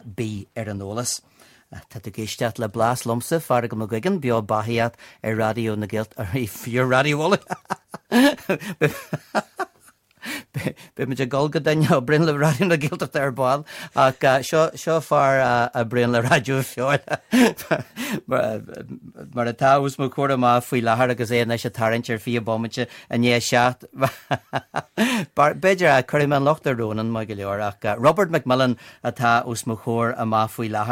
Bí ar an eolas. Tá tú ag éisteacht le Blas liomsa, Feargal Mac Guigan, beo beathaíocht ar Raidió na Gaeltachta, fiú Raidió Uladh! Beidh muid ag dul go duine a oibríonn le Raidió na Gaeltachta ar ball, ach seo, seo fear a oibríonn le Raidió Feoil mar atá os mo chomhair amach faoi láthair agus é anois ag tarraingt ar 20 bomaite i ndiaidh 7. B'fhéidir, cuirfidh mé an locht ar Ronan, maith go leor, ach Robert McMillen atá os mo chomhair amach faoi láthair.